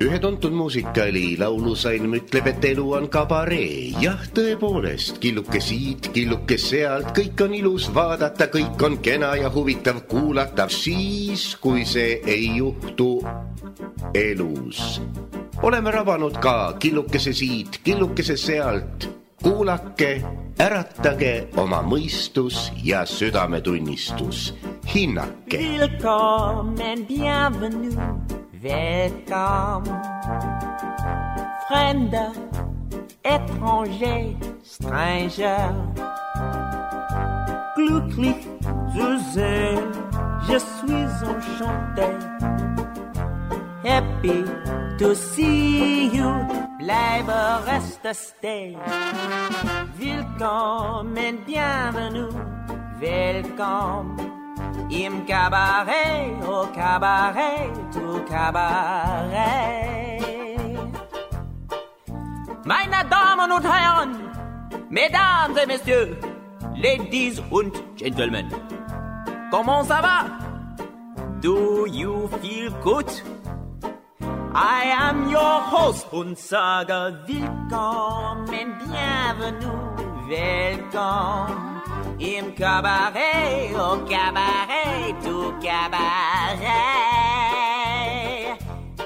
Ühe tuntud muusikali laulusalm ütleb, et elu on kabaree. Jah, tõepoolest, killuke siit, killuke sealt, kõik on ilus vaadata, kõik on kena ja huvitav kuulata, siis kui see ei juhtu elus. Oleme rabanud ka killukese siit, killukese sealt. Kuulake, äratage oma mõistus ja südametunnistus. Hinnake. Willkommen, bienvenue, welcome. Fremder, étranger, stranger. Glücklich zu sehen, je suis enchanté. Happy to see you, bleibe reste stay. Willkommen, bienvenue, welcome. Im Cabaret, au Cabaret, au Cabaret. Meine Damen und Herren, Mesdames et Messieurs, Ladies und Gentlemen, comment ça va? Do you feel good? I am your host und sage willkommen, bienvenue, welcome. Im Cabaret, au Cabaret, au Cabaret.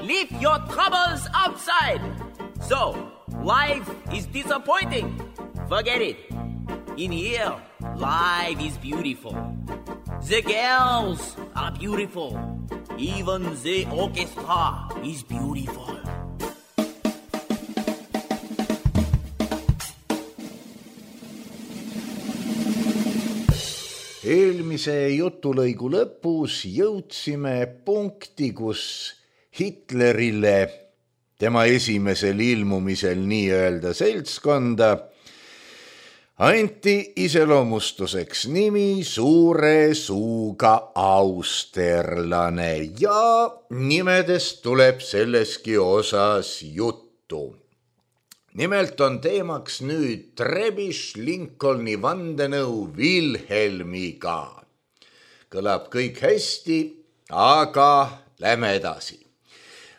Leave your troubles outside. So, life is disappointing. Forget it. In here, life is beautiful. The girls are beautiful. Even the orchestra is beautiful. Eelmise jutulõigu lõpus jõudsime punkti, kus Hitlerile tema esimesel ilmumisel nii-öelda seltskonda anti iseloomustuseks nimi suure suuga austerlane ja nimedest tuleb selleski osas juttu. Nimelt on teemaks nüüd Trebisch-Lincolni vandenõu Wilhelmiga. Kõlab kõik hästi, aga lähme edasi.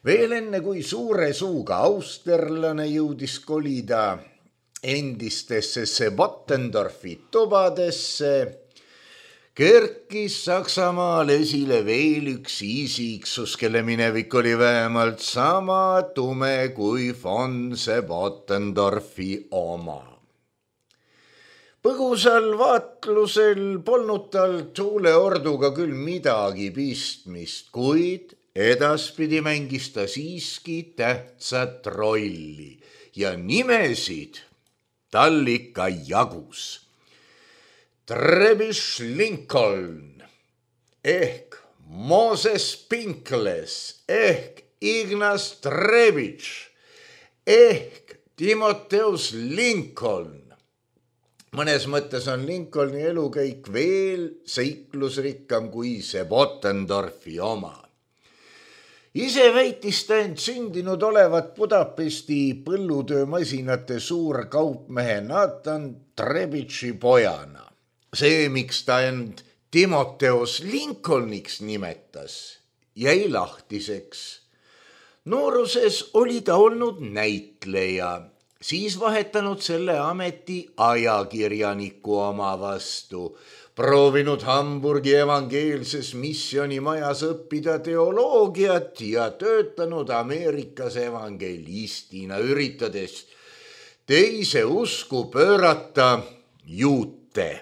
Veel enne kui suure suuga austerlane jõudis kolida endistesse Bottendorfi tubadesse, kerkis Saksamaal esile veel üks isiksus, kelle minevik oli vähemalt sama tume kui von Bottendorfi oma. Põgusal vaatlusel polnud tal tuuleorduga küll midagi pistmist, kuid edaspidi mängis ta siiski tähtsat rolli ja nimesid tal ikka jagus. Trebisch-Lincoln ehk Moses Pinkles ehk Ignaz Trebitsch ehk Timotheus Lincoln. Mõnes mõttes on Lincolni elukäik veel seiklusrikkam kui see Bottendorfi oma. Ise väitis ta end sündinud olevat Budapesti põllutöömasinate suur kaupmehe Nathan Trebitši pojana. See, miks ta end Timotheus Lincolniks nimetas, jäi lahtiseks. Nooruses oli ta olnud näitleja, siis vahetanud selle ameti ajakirjaniku oma vastu, proovinud Hamburgi evangeelses missionimajas õppida teoloogiat ja töötanud Ameerikas evangelistina, üritades teise usku pöörata juute.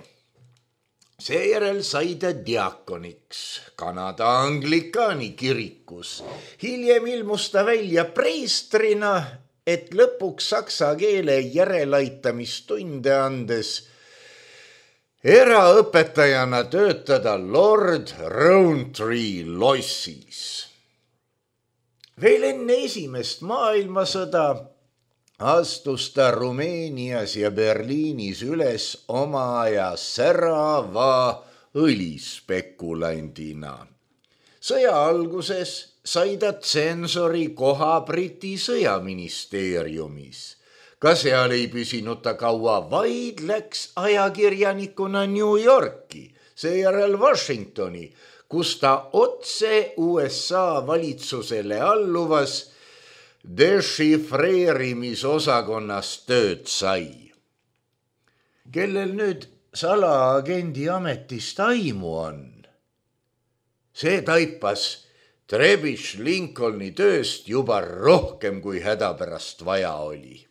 Seejärel sai ta diakoniks Kanada Anglikaani kirikus. Hiljem ilmus ta välja preestrina, et lõpuks saksa keele järelaittamistunde andes eraõpetajana töötada Lord Rowntree lossis. Veel enne esimest maailmasõda astus ta Rumeenias ja Berliinis üles oma aja särava õlispekulandina. Sõja alguses sai ta tsensori koha Briti sõjaministeeriumis. Ka seal ei püsinud ta kaua, vaid läks ajakirjanikuna New Yorki, seejärel Washingtoni, kus ta otse USA valitsusele alluvas dešifreerimisosakonnas tööd sai. Kellel nüüd salaagendi ametist aimu on, see taipas Trebitš Lincolni tööst juba rohkem kui hädapärast vaja oli.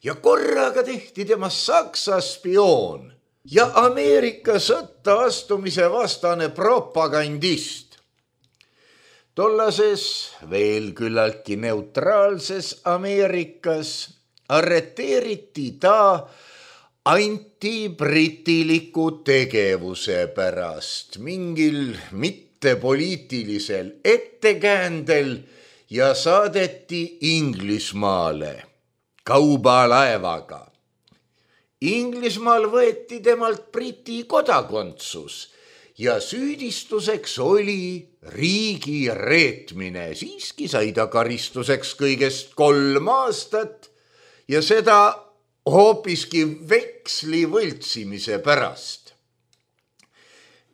Ja korraga tehti temast Saksa spioon ja Ameerika sõtta astumise vastane propagandist. Tollases veel küllaltki neutraalses Ameerikas arreteeriti ta antibritiliku tegevuse pärast mingil mittepoliitilisel ettekäändel ja saadeti Inglismaale kaubalaevaga. Inglismaal võeti temalt Briti kodakondsus ja süüdistuseks oli riigi reetmine. Siiski sai ta karistuseks kõigest 3 aastat ja seda hoopiski veksli võltsimise pärast.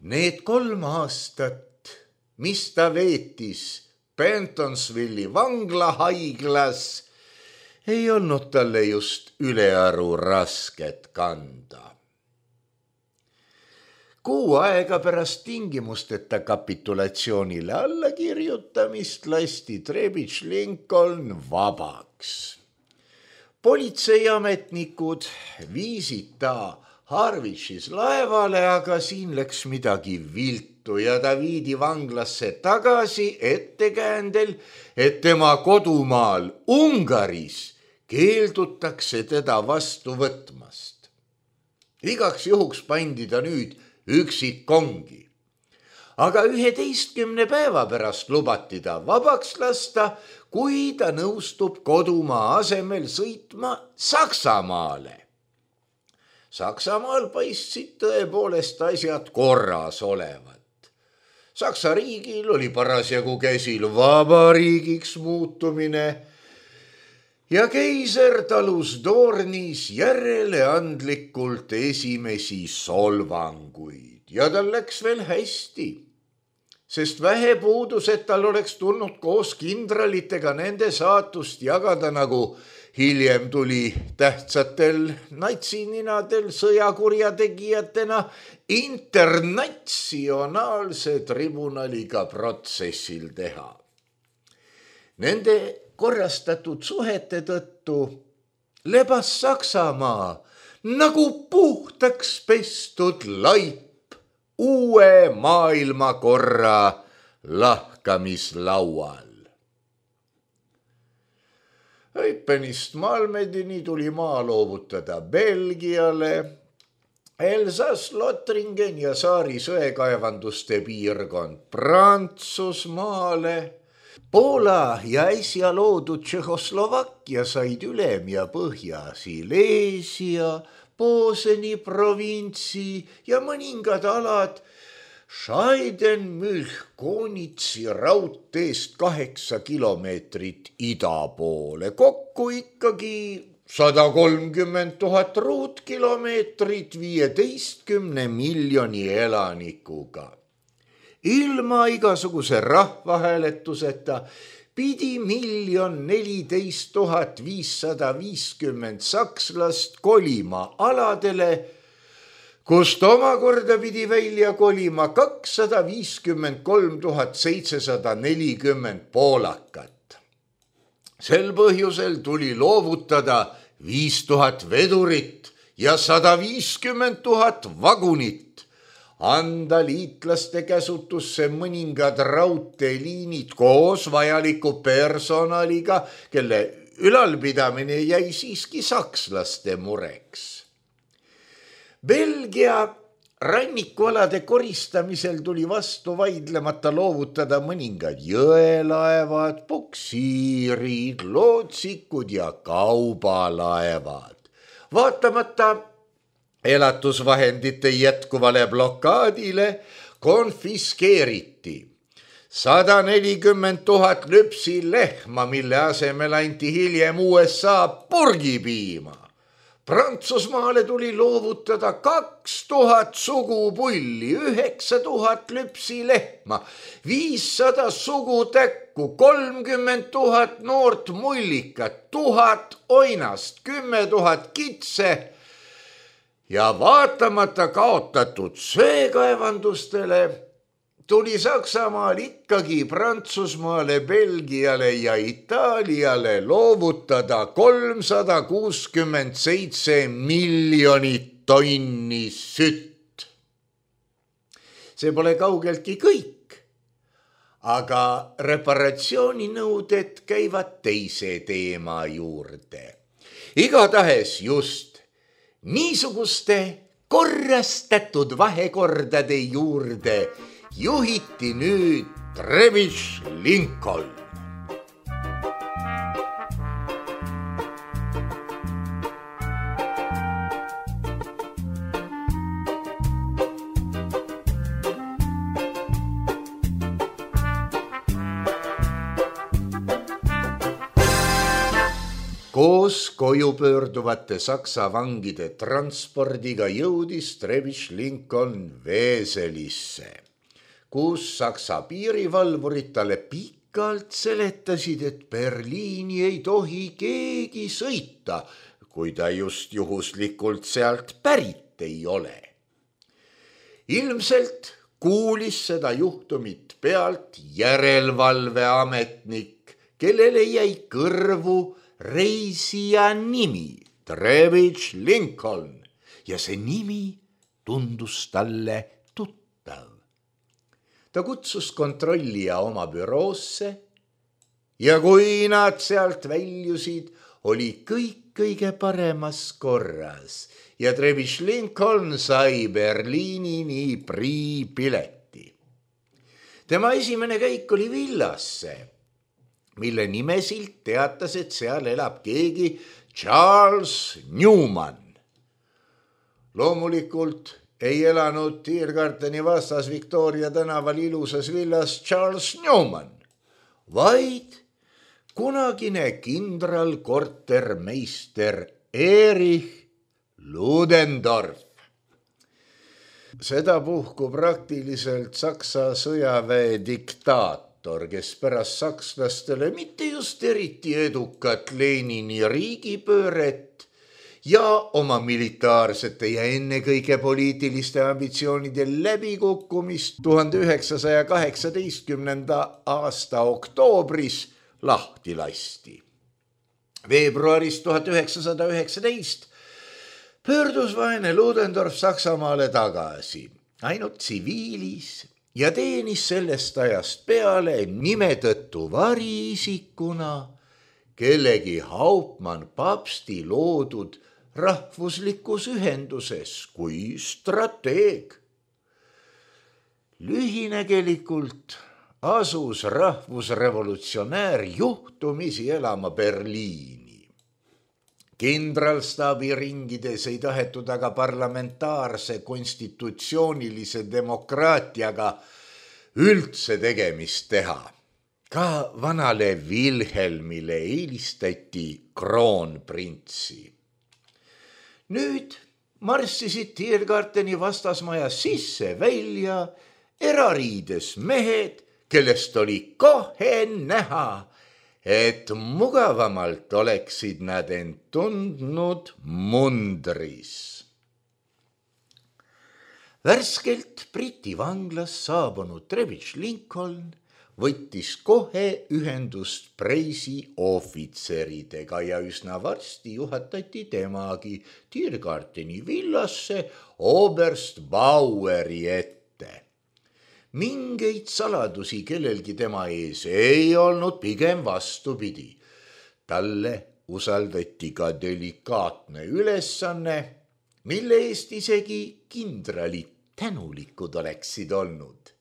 Need 3 aastat, mis ta veetis Pentonsvilli vanglahaiglas, ei olnud talle just ülearu rasket kanda. 6 aega pärast tingimusteta kapitulatsioonile allakirjutamist lasti Trebitš Lincoln vabaks. Politseiametnikud viisid ta Harwichis laevale, aga siin läks midagi viltu ja ta viidi vanglasse tagasi ettekäändel, et tema kodumaal Ungaris keeldutakse teda vastu võtmast. Igaks juhuks pandi ta nüüd üksikkongi. Aga 11 päeva pärast lubati ta vabaks lasta, kui ta nõustub kodumaa asemel sõitma Saksamaale. Saksamaal paistsid tõepoolest asjad korras olevat. Saksa riigil oli parasjagu käsil vabariigiks muutumine ja keiser talus Dornis järeleandlikult esimesi solvanguid ja tal läks veel hästi, sest vähe puudus, et tal oleks tulnud koos kindralitega nende saatust jagada, nagu hiljem tuli tähtsatel natsininadel sõjakurjategijatena internatsionaalse tribunaliga protsessil teha. Nende korrastatud suhete tõttu lebas Saksamaa nagu puhtaks pestud laip uue maailmakorra lahkamislaual. Eupenist Malmedini tuli maa loovutada Belgiale, Elsass-Lothringen ja Saari söekaevanduste piirkond Prantsusmaale, Poola ja äsja loodud Tšehhoslovakkia said Ülem- ja Põhja-Silesia, Poseni provintsi ja mõningad alad Scheidenmühlkonitsi raudteest 8 kilomeetrit ida poole. Kokku ikkagi 130 000 ruutkilomeetrit 15 miljoni elanikuga. Ilma igasuguse rahvahääletuseta pidi 1 014 550 sakslast kolima aladele, kust omakorda pidi välja kolima 253 740 poolakat. Sel põhjusel tuli loovutada 5000 vedurit ja 150 000 vagunit, anda liitlaste käsutusse mõningad raudteeliinid koos vajaliku personaliga, kelle ülalpidamine jäi siiski sakslaste mureks. Belgia rannikualade koristamisel tuli vastu vaidlemata loovutada mõningad jõelaevad, puksiirid, lootsikud ja kaubalaevad. Vaatamata elatusvahendite jätkuvale blokaadile konfiskeeriti 140 000 lüpsilehma, mille asemel anti hiljem USA purgipiima. Prantsusmaale tuli loovutada 2000 sugupulli, 9000 lüpsilehma, 500 sugutäkku, 30 000 noort mullikat, 1000 oinast, 10 000 kitse ja vaatamata kaotatud söekaevandustele tuli Saksamaal ikkagi Prantsusmaale, Belgiale ja Itaaliale loovutada 367 miljonit tonni sütt. See pole kaugeltki kõik, aga reparatsiooninõuded käivad teise teema juurde. Igatahes just niisuguste korrastatud vahekordade juurde juhiti nüüd Trevich Lincoln. Koos koju pöörduvate Saksa vangide transpordiga jõudis Trevich Lincoln Veeselisse, kus Saksa piirivalvurid talle pikalt seletasid, et Berliini ei tohi keegi sõita, kui ta just juhuslikult sealt pärit ei ole. Ilmselt kuulis seda juhtumit pealt järelevalveametnik, kellele jäi kõrvu reisija nimi Trevich Lincoln ja see nimi tundus talle tuttav. Ta kutsus kontrollija oma büroosse ja kui nad sealt väljusid, oli kõik kõige paremas korras ja Trevich Lincoln sai Berliinini priipileti. Tema esimene käik oli villasse, mille nimesilt teatas, et seal elab keegi Charles Newman. Loomulikult ei elanud Tiergarteni vastas Victoria tänaval ilusas villas Charles Newman, vaid kunagine kindralkortermeister Erich Ludendorff. Sedapuhku praktiliselt Saksa sõjaväe diktaator, kes pärast sakslastele mitte just eriti edukat Lenini riigipööret ja oma militaarsete ja ennekõike poliitiliste ambitsioonide läbikukkumist 1918. aasta oktoobris lahti lasti. Veebruaris 1919 pöördus vaene Ludendorff Saksamaale tagasi, ainult tsiviilis, ja teenis sellest ajast peale nime tõttu variisikuna kellegi Hauptmann Papsti loodud rahvuslikus ühenduses kui strateeg. Lühinägelikult asus rahvusrevolutsionäär juhtumisi elama Berliini. Kindralstaabi ringides ei tahetud aga parlamentaarse konstitutsioonilise demokraatiaga üldse tegemist teha. Ka vanale Wilhelmile eelistati kroonprintsi. Nüüd marssisid Tiergarteni vastasmaja sisse välja erariides mehed, kellest oli kohe näha, et mugavamalt oleksid nad end tundnud mundris. Värskelt Briti vanglas saabunud Trevich Lincoln võttis kohe ühendust Preisi ohvitseridega ja üsna varsti juhatati temagi Tiergarteni villasse oberst Baueri ette. Mingeid saladusi kellelgi tema ees ei olnud, pigem vastupidi. Talle usaldati ka delikaatne ülesanne, mille eest isegi kindralid tänulikud oleksid olnud.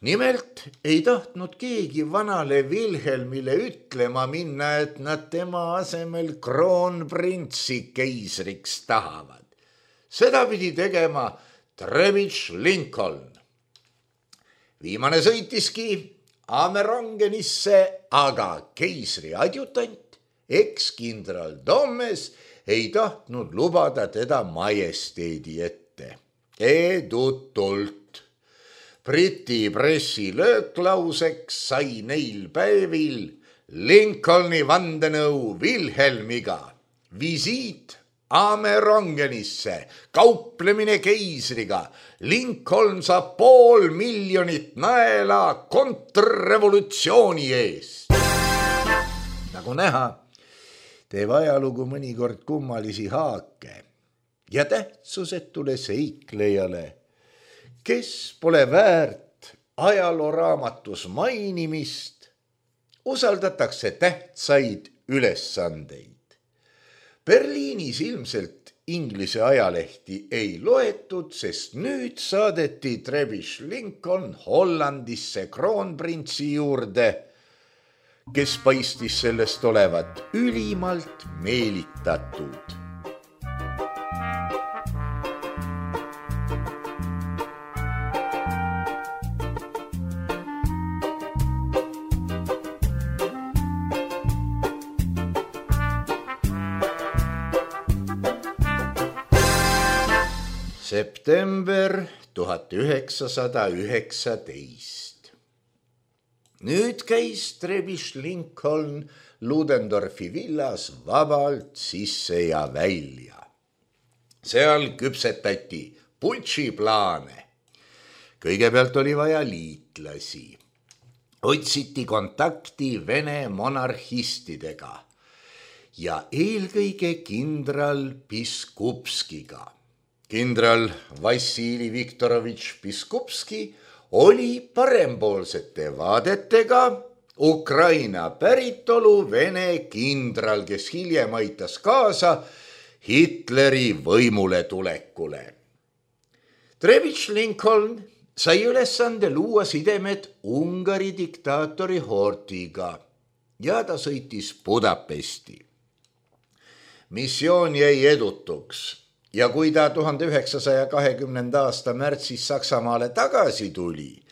Nimelt ei tahtnud keegi vanale Wilhelmile ütlema minna, et nad tema asemel kroonprintsi keisriks tahavad. Seda pidi tegema Trevich Lincoln. Viimane sõitiski Amerongenisse, aga keisri adjutant, ekskindral Dommes ei tahtnud lubada teda majesteedi ette. Edutult. Briti pressi lööklauseks sai neil päevil Lincolni vandenõu Wilhelmiga, visiit Amerongenisse, kauplemine keisriga, Lincoln saab 500,000 naela kontrrevolutsiooni eest. Nagu näha, teeb ajalugu mõnikord kummalisi haake ja tähtsusetule seiklejale, kes pole väärt ajalooraamatus mainimist, usaldatakse tähtsaid ülesandeid. Berliinis ilmselt Inglise ajalehti ei loetud, sest nüüd saadeti Trebish Lincoln Hollandisse kroonprintsi juurde, kes paistis sellest olevat ülimalt meelitatud. September 1919. Nüüd käis Trebish Lincoln Ludendorfi villas vabalt sisse ja välja. Seal küpsetati putšiplaane. Kõigepealt oli vaja liitlasi. Otsiti kontakti Vene monarhistidega ja eelkõige kindral Piskupskiga. Kindral Vassili Viktorovitš Piskupski oli parempoolsete vaadetega Ukraina päritolu Vene kindral, kes hiljem aitas kaasa Hitleri võimule tulekule. Trebish Lincoln sai ülesande luua sidemed Ungari diktaatori Horthiga ja ta sõitis Budapesti. Missioon jäi edutuks. Ja kui ta 1920. aasta märtsis Saksamaale tagasi tuli,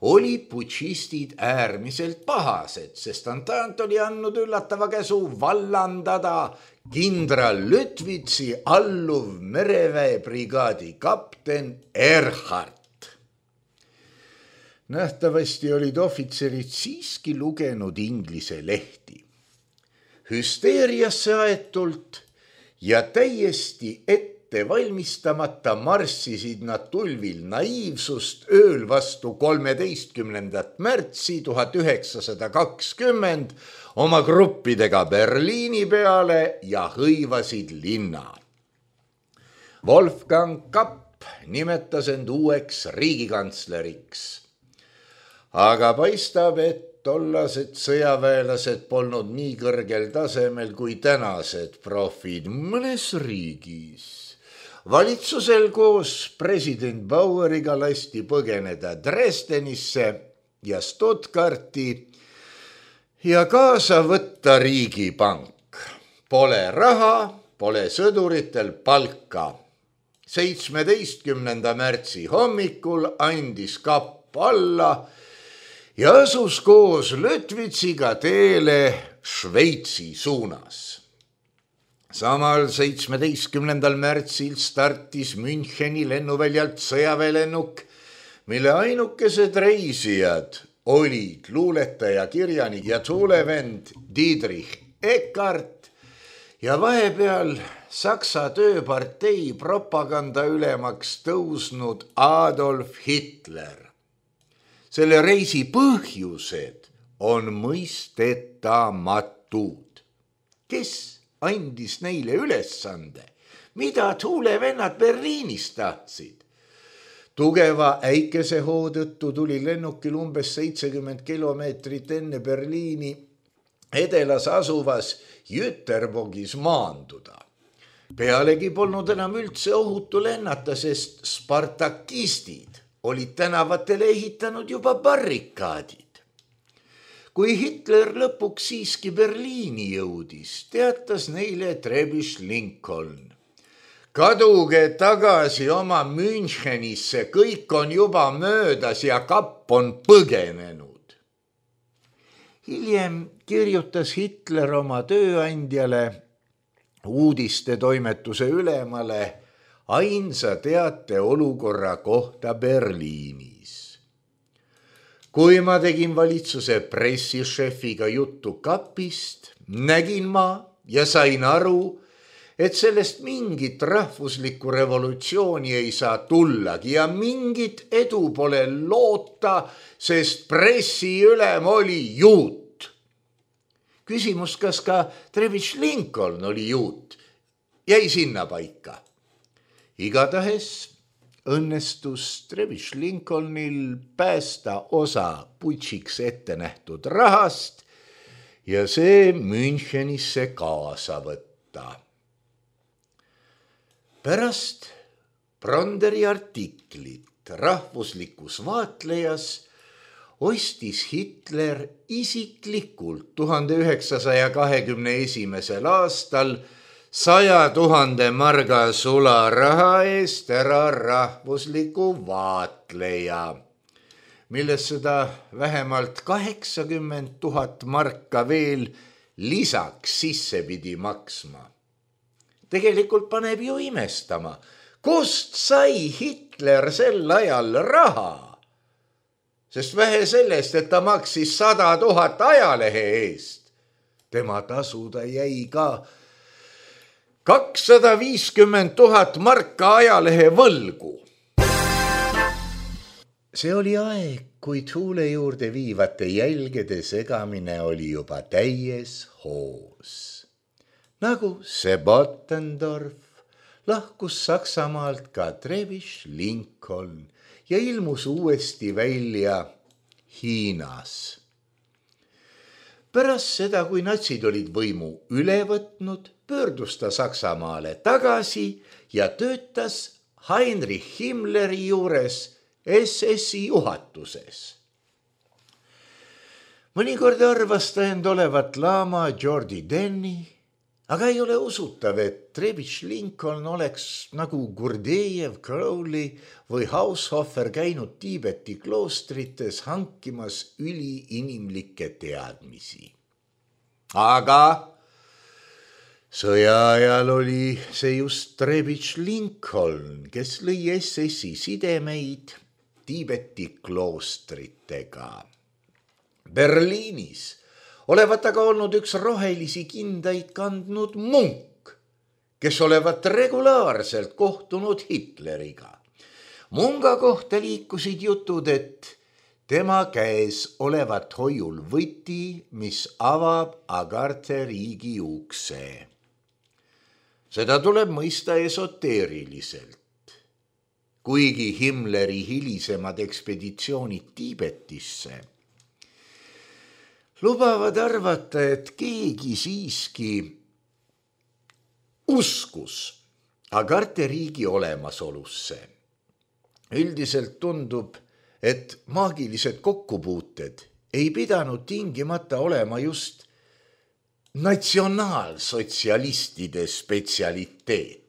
oli putšistid äärmiselt pahased, sest Antant oli andnud üllatava käsu vallandada kindral Lütvitsi alluv mereväebrigaadi kapten Erhard. Nähtavasti olid ohvitserid siiski lugenud inglise lehti. Hüsteeriasse aetult ja täiesti valmistamata marssisid nad tulvil naiivsust ööl vastu 13. märtsi 1920 oma gruppidega Berliini peale ja hõivasid linna. Wolfgang Kapp nimetas end uueks riigikantsleriks. Aga paistab, et tollased sõjaväelased polnud nii kõrgel tasemel kui tänased profid mõnes riigis. Valitsusel koos president Baueriga lasti põgeneda Dresdenisse ja Stuttgarti ja kaasa võtta riigipank. Pole raha, pole sõduritel palka. 17. märtsi hommikul andis Kapp alla ja asus koos Lütvitsiga teele Šveitsi suunas. Samal 17. märtsil startis Müncheni lennuväljalt sõjaväelennuk, mille ainukesed reisijad olid luuletaja, kirjanik ja tuulevend Dietrich Eckart ja vahepeal Saksa tööpartei propaganda ülemaks tõusnud Adolf Hitler. Selle reisi põhjused on mõistetamatud. Kes andis neile ülesande, mida tuulevennad Berliinis tahtsid? Tugeva äikesehoo tõttu tuli lennukil umbes 70 kilomeetrit enne Berliini edelas asuvas Jüterbogis maanduda. Pealegi polnud enam üldse ohutu lennata, sest spartakistid olid tänavatele ehitanud juba barrikaadid. Kui Hitler lõpuks siiski Berliini jõudis, teatas neile Trebish Lincoln. Kaduge tagasi oma Münchenisse, kõik on juba möödas ja Kapp on põgenenud. Hiljem kirjutas Hitler oma tööandjale, uudistetoimetuse ülemale ainsa teate olukorra kohta Berliinis. Kui ma tegin valitsuse pressišefiga juttu kapist, nägin ma ja sain aru, et sellest mingit rahvuslikku revolutsiooni ei saa tullagi ja mingit edu pole loota, sest pressiülem oli juut. Küsimus, kas ka Trevich Lincoln oli juut, jäi sinna paika. Igatahes õnnestus Trevich Lincolnil päästa osa putšiks ette nähtud rahast ja see Münchenisse kaasa võtta. Pärast Bronderi artiklit rahvuslikus vaatlejas ostis Hitler isiklikult 1921. aastal 100 000 marga sularaha eest ära rahvusliku vaatleja, milles seda vähemalt 80 000 marka veel lisaks sisse pidi maksma. Tegelikult paneb ju imestama, kust sai Hitler sel ajal raha? Sest vähe sellest, et ta maksis 100 000 ajalehe eest. Tema tasuda jäi ka 250 000 marka ajalehe võlgu. See oli aeg, kui tuule juurde viivate jälgede segamine oli juba täies hoos. Nagu Sebottendorf lahkus Saksamaalt ka Trevich Lincoln ja ilmus uuesti välja Hiinas. Pärast seda, kui natsid olid võimu üle võtnud, pöördus ta Saksamaale tagasi ja töötas Heinrich Himmleri juures SS-i juhatuses. Mõnikord arvas ta end olevat laama Geordi Denny, aga ei ole usutav, et Trevich Lincoln oleks nagu Gurdejev, Crowley või Haushofer käinud Tiibeti kloostrites hankimas üliinimlikke teadmisi. Aga sõja ajal oli see just Trevich Lincoln, kes lõi SS-i sidemeid Tiibeti kloostritega. Berliinis olevat aga olnud üks rohelisi kindaid kandnud munk, kes olevat regulaarselt kohtunud Hitleriga. Munga kohta liikusid jutud, et tema käes olevat hoiul võti, mis avab Agarte riigi ukse. Seda tuleb mõista esoteeriliselt. Kuigi Himmleri hilisemad ekspeditsioonid Tiibetisse lubavad arvata, et keegi siiski uskus Agarte riigi olemasolusse. Üldiselt tundub, et maagilised kokkupuuted ei pidanud tingimata olema just natsionaalsotsialistide spetsialiteet.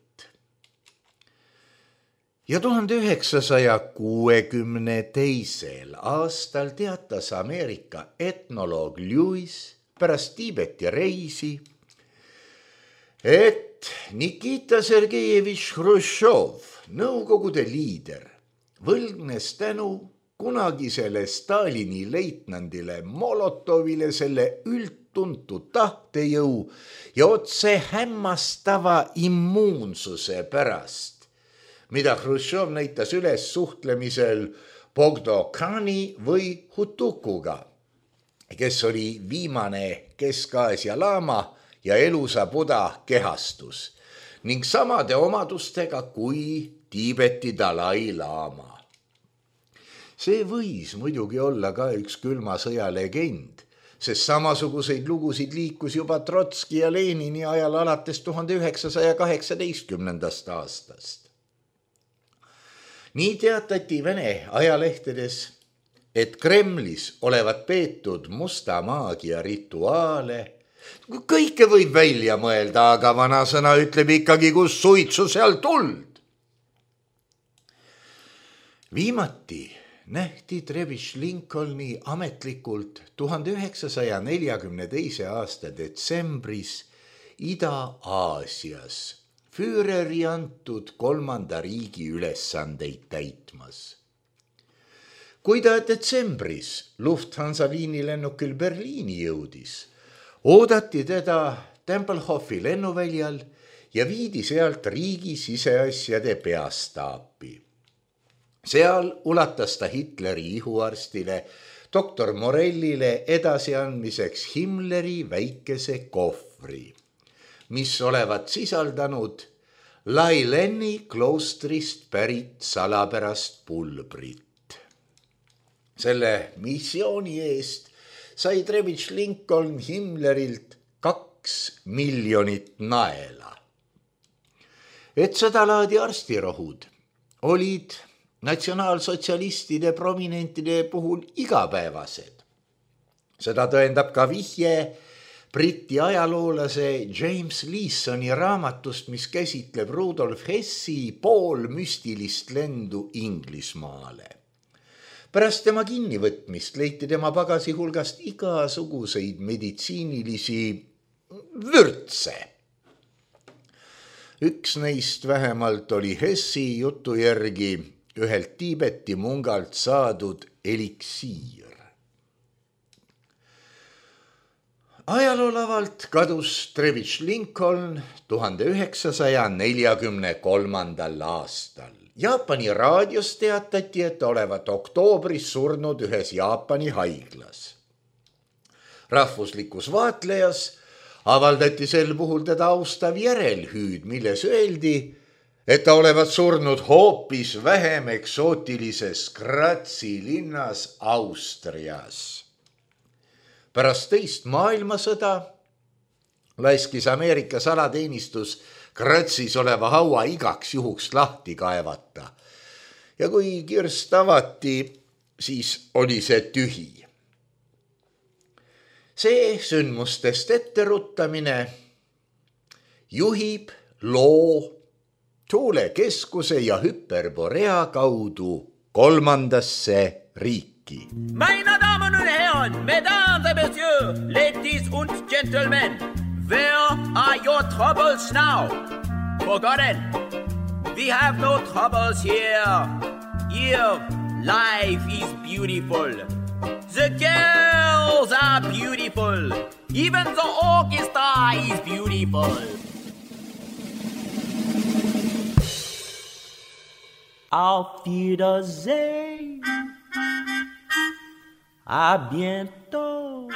Ja 1962. aastal teatas Ameerika etnoloog Lewis pärast Tiibeti reisi, et Nikita Sergejevich Hruštšov, Nõukogude liider, võlgnes tänu kunagisele Stalini leitnandile Molotovile selle üldtuntud tahtejõu ja otse hämmastava immuunsuse pärast, mida Hruštšov näitas üles suhtlemisel Bogdo-khani või Hutukuga, kes oli viimane Kesk-Aasia laama ja elusa Buda kehastus ning samade omadustega kui Tiibeti Dalai-laama. See võis muidugi olla ka üks külma sõja legend, sest samasuguseid lugusid liikus juba Trotski ja Lenini ajal alates 1918. aastast. Nii teatati Vene ajalehtedes, et Kremlis olevat peetud musta maagia rituaale. Kõike võib välja mõelda, aga vanasõna ütleb ikkagi, kus suitsu seal tuld. Viimati nähti Trevich Lincolni ametlikult 1942. aasta detsembris Ida-Aasias Führeri antud 3. riigi ülesandeid täitmas. Kui ta detsembris Lufthansa liinilennukil Berliini jõudis, oodati teda Tempelhofi lennuväljal ja viidi sealt riigi siseasjade peastaapi. Seal ulatas ta Hitleri ihuarstile doktor Morellile edasiandmiseks Himmleri väikese kohvri, mis olevat sisaldanud Laileni kloostrist pärit salapärast pulbrit. Selle missiooni eest sai Trebitš Lincoln Himmlerilt 2 miljonit naela. Et seda laadi arstirohud olid natsionaalsotsialistide prominentide puhul igapäevased. Seda tõendab ka vihje Briti ajaloolase James Leesoni raamatust, mis käsitleb Rudolf Hessi poolmüstilist lendu Inglismaale. Pärast tema kinnivõtmist leiti tema pagasi hulgast igasuguseid meditsiinilisi vürtse. Üks neist vähemalt oli Hessi jutu järgi ühelt Tiibeti mungalt saadud eliksiir. Ajaloolavalt kadus Trebitš Lincoln 1943. aastal. Jaapani raadios teatati, et olevat oktoobris surnud ühes Jaapani haiglas. Rahvuslikus vaatlejas avaldati sel puhul teda austav järelhüüd, milles öeldi, et ta olevat surnud hoopis vähem eksootilises Gratzi linnas Austrias. Pärast teist maailmasõda laskis Ameerika salateenistus Gratzis oleva haua igaks juhuks lahti kaevata. Ja kui kirst avati, siis oli see tühi. See sündmustest etteruttamine juhib loo tuulekeskuse ja Hyperborea kaudu 3. riiki. Meine Damen und Herren, Mesdames et Messieurs, Ladies und Gentlemen, where are your troubles now? Forgotten. We have no troubles here. Here, life is beautiful. The girls are beautiful. Even the orchestra is beautiful. Auf Wiedersehen. À bientôt.